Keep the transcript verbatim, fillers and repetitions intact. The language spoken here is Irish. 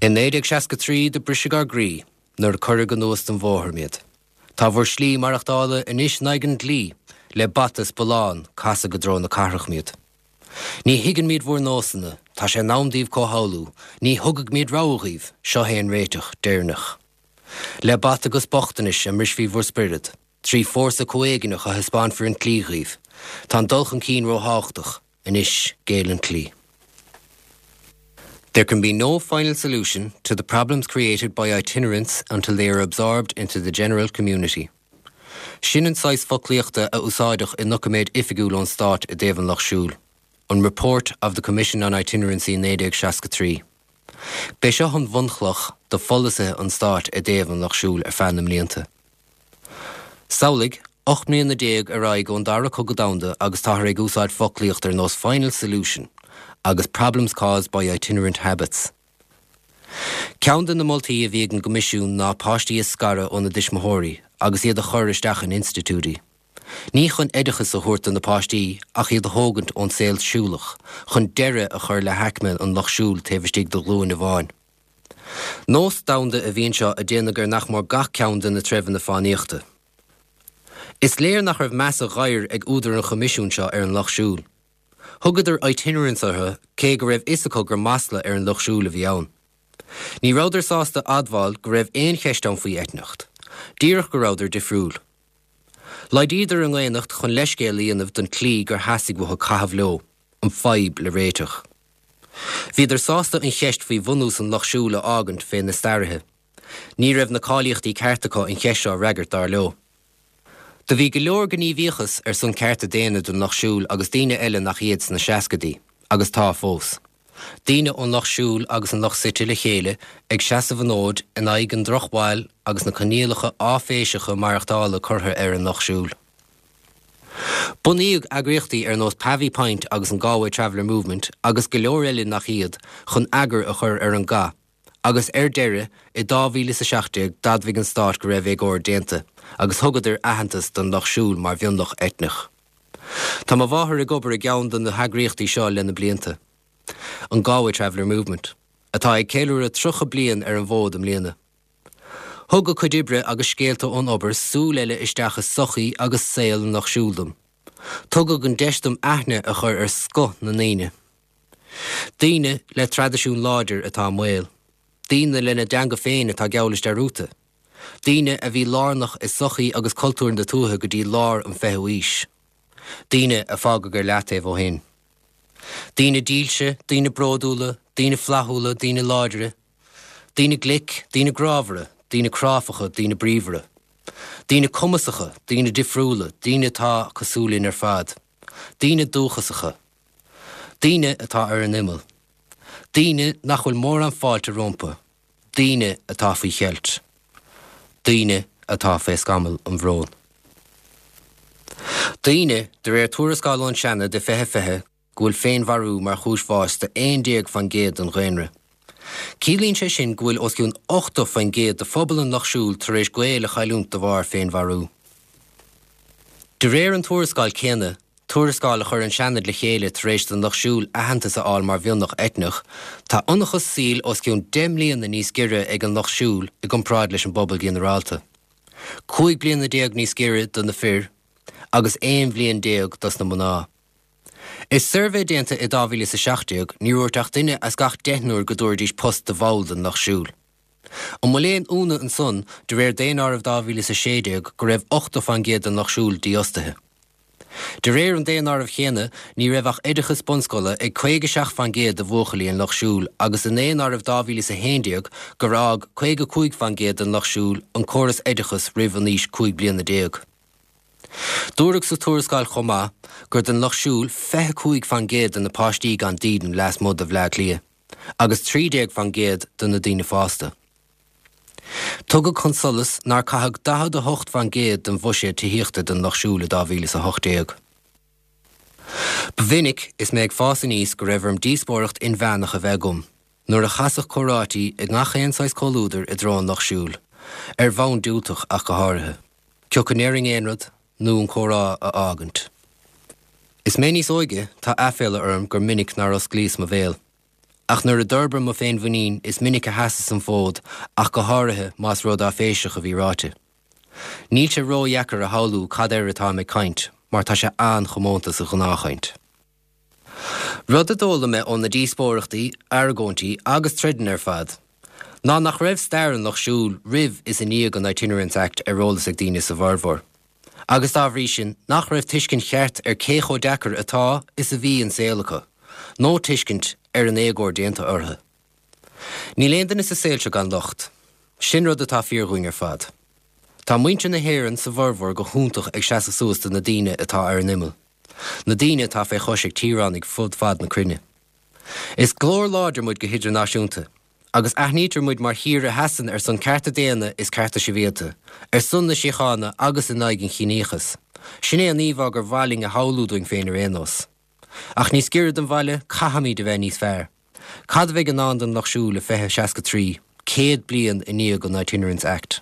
In naoi déag seasca trí do briseadh ár gcroí nuair a cuireadh anuas den bhóthar muid. Tá bhur slí maireachtála anois in aghaidh an dlí, le bata is bullán casadh go dtreo na cathrach muid. Ní thuigeann muid bhur nósanna, tá sé in am daoibh comhshamhlú, ní thugfaidh muid rogha dhaoibh, seo é an réiteach deireanach. Le bata agus bochtanais a mbrisfí bhur spiorad, trí fórsa comhéigneach a thaispeánfar an tslí dhaoibh, tá an dul chun cinn róthábhachtach, anois géill an tslí. There can be no final solution to the problems created by itinerants until they are absorbed into the general community. Sin an saghas foclaíochta a úsáideadh i ndoiciméad oifigiúil ón stát i dtaobh an Lucht Siúil, an Report of the Commission on Itinerancy naoi déag seasca trí. B'é seo an bhunchloch do pholasaithe an stáit i dtaobh an Lucht Siúil ar feadh na mblianta. Samhlaigh, ocht mbliana déag ar aghaidh ón dara cogadh domhanda agus táthar ag úsáid foclaíocht ar nós final solution agus problems caused by itinerant habits. Ceann de na moltaí a bhí ag an gCoimisiún ná páistí a scaradh óna dtuismitheoirí agus iad a chur isteach in institiúidí. Ní chun oideachas a thabhairt do na páistí ach iad a thógaint ón saol siúlach, chun deireadh a chur le haicme an lucht siúil taobh istigh de ghlúin amháin. Nós domhanda a bhí anseo a déanadh ar nach mór gach ceann de na treibheanna fánaíochta. Is léir nach raibh meas a ghair ag údair an Choimisiúin seo ar an lucht siúil. Thugadar itinerants orthu cé go raibh fhios acu gur masla ar an lucht siúil a bhí ann. Ní rabhadar sásta admháil go raibh aon cheist ann faoi eitneacht. Díreach go rabhadar difriúil. Laghdaíodar a ndaonnacht chun leithscéal a dhéanamh don tslí gur theastaigh uathu caitheamh leo, an fadhb le réiteach. Bhíodar sásta an cheist faoi bhunús an lucht siúil a fhágaint fé na staraithe. Ní raibh na cáilíochtaí ceart acu an cheist seo a fhreagairt dar leo. Do bhí go leor gníomhaíochas ar son cearta daonna don lucht siúil agus daoine eile nach iad sna seascaidí, agus tá fós. Daoine ón lucht siúil agus an lucht suite le chéile ag seasamh an fhóid in aghaidh an drochbhail agus na coinníollacha áiféiseacha maireachtála curtha ar an lucht siúil. Bunaíodh eagraíochtaí ar nós Pavee Point agus an Galway Traveller Movement agus go leor eile nach iad chun eagar a chur ar an gcath, agus ar deireadh i dhá mhíle is a seacht déag d'admhaigh an stát go raibh éagóir déanta agus thugadar aitheantas don lucht siúil mar mhionlach eitneach. Tá mo mháthair ag obair i gceann de na heagraíochtaí seo le na blianta. An Galway Traveller Movement, atá ag ceiliúradh tríocha bliain ar an bhfód i mbliana. Thug a cuid oibre agus scéalta ón obair súil eile isteach i sochaí agus saol an lucht siúil dom. Tugadh an deis dom aithne a chur ar scoth na ndaoine. Daoine le traidisiún láidir atá i mbaol. Daoine lena dteanga féin atá geall leis dearúdta. Daoine a bhí lárnach i sochaí agus cultúr na tuaithe go dtí lár an fichiú haois. Daoine a fágadh ar leataobh ó shin. Daoine dílse, daoine bródúla, daoine flaithiúla, daoine láidre. Daoine glic, daoine grámhara, daoine cráifeacha, daoine bríomhara. Daoine cumasacha, daoine difriúla, daoine atá cosúil linn ar fad. Daoine dúchasacha. Daoine atá ar an imeall. Daoine nach bhfuil mórán fáilte rompu. Daoine atá faoi cheilt. Daoine atá fé scamall an bhróin. Daoine, de réir tuarascáil ón Seanad i fiche fiche, go bhfuil féinmharú mar chúis bháis do aon déag faoin gcéad den dhaonra. Ciallaíonn sé sin go bhfuil os cionn ochtó faoin gcéad de phobal an lucht siúil tar éis gaol a chailliúint de bharr féinmharú. De réir an tuarascáil céanna, tuarascáil a chuir an Seanad le chéile tar éis don lucht siúil aitheantas a fháil mar mhionlach eitneach, tá ionchas saoil os cionn deich mbliana níos giorra ag an lucht siúil i gcomparáid leis an bpobal ginearálta. Cúig bliana déag níos giorra do na fir agus aon bhliain déag dos na mná. I suirbhé déanta i dhá mhíle is a seacht déag, níor dhúirt ach duine as gach deichniúr go dtabharfaidís post do bhall den lucht siúil. An bhfuil aon ionadh ansan, de réir daonáireamh dhá mhíle is a sé déag, go raibh ochtó faoin gcéad den lucht siúil dífhostaithe? De réir an daonáirimh chéanna, ní raibh ach oideachas bunscoile ag caoga seacht faoin gcéad de bhuachaillí an lucht siúil agus i ndaonáireamh dhá mhíle is a haon déag gur fhág caoga cúig faoin gcéad den lucht siúil an córas oideachais roimh an aois cúig bliana déag. Dúradh sa tuarascáil chomh maith gur den lucht siúil fiche cúig faoin gcéad de na páistí gan dídean lasmuigh de Bhleá Cliath, agus trí déag faoin gcéad de na daoine fásta. Tugadh chun solais nár caitheadh daichead a hocht faoin gcéad den bhuiséad tithíochta don lucht siúil i dhá mhíle is a hocht déag. Ba mhinic is mé ag fás aníos go raibh orm díospóireacht inmheánach a bheith agam nuair a chasadh comhráití i ngach aon saghas comhluadair i dtreo an lucht siúil, ar bhonn diúltach ach go háirithe. Cé acu go ndéarfainn aon rud nó an comhrá a fhágaint. Is mé níos óige, tá aiféala orm gur minic nár osclaíos mo bhéal. Ach nuair a d'fhorbair mo féinmhuinín is minic a sheasas an fód ach go háirithe más rud áiféiseach a bhí ráite. Níl sé ródheacair a shamhlú cad air atá ag caint, mar tá sé an-chomónta sa ghnáthchaint. Rud a d'fhoghlaim mé ó na díospóireachtaí, argóintí agus troideanna ar fad. Ná nach raibh stair an Lucht Siúil roimh is i ndiaidh an Itinerants Act ar eolas ag daoine sa bhformhór. Agus dá bhrí sin nach raibh tuiscint cheart ar cé chomh deacair atá is a bhí an saol acu, nó tuiscint ar an éagóir déanta orthu. Níl aon duine sa saol seo gan locht, sin rud atá fíor dúinn ar fad. Tá muintir na hÉireann sa bhformhór go hiontach ag seasamh suas do na daoine atá ar an imeall. Na daoine atá fé chois ag tíoránaigh fud fad na cruinne. Is glór láidir muid go hidirnáisiúnta, agus aithnítear muid mar thír a sheasann ar son cearta daonna is cearta sibhialta, ar son na síochána agus in aghaidh an chiníochais. Sin é an íomhá gur mhaith linn a shamhlú dúinn féin ar aon nós. Ach níos giorra don bhaile caithfimid a bheith níos fearr. Cad a bheidh i ndán don Lucht Siúil i fiche seasca trí, céad bliain i ndiaidh an Itinerants Act.